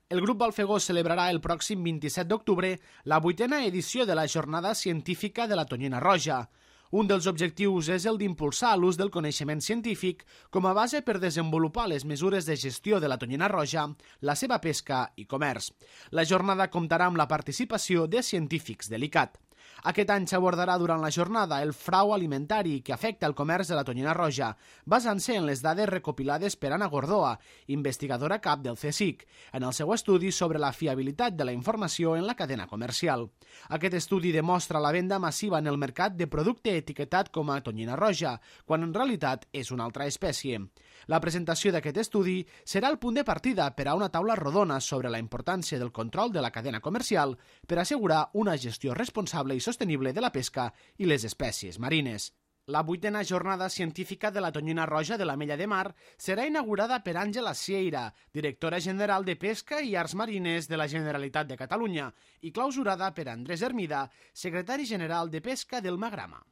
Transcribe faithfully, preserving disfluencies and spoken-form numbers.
El grup Balfegó celebrarà el pròxim vint-i-set d'octubre la vuitena edició de la Jornada Científica de la Tonyina Roja. Un dels objectius és el d'impulsar l'ús del coneixement científic com a base per desenvolupar les mesures de gestió de la tonyina roja, la seva pesca i comerç. La jornada comptarà amb la participació de científics de l'I C A T. Aquest any s'abordarà durant la jornada el frau alimentari que afecta el comerç de la tonyina roja, basant-se en les dades recopilades per Anna Gordoa, investigadora cap del C S I C, en el seu estudi sobre la fiabilitat de la informació en la cadena comercial. Aquest estudi demostra la venda massiva en el mercat de producte etiquetat com a tonyina roja, quan en realitat és una altra espècie. La presentació d'aquest estudi serà el punt de partida per a una taula rodona sobre la importància del control de la cadena comercial per assegurar una gestió responsable i sostenible de la pesca i les espècies marines. La vuitena jornada científica de la tonyina roja de l'Ametlla de Mar serà inaugurada per Àngela Sieira, directora general de Pesca i Arts Marines de la Generalitat de Catalunya, i clausurada per Andrés Hermida, secretari general de Pesca del Magrama.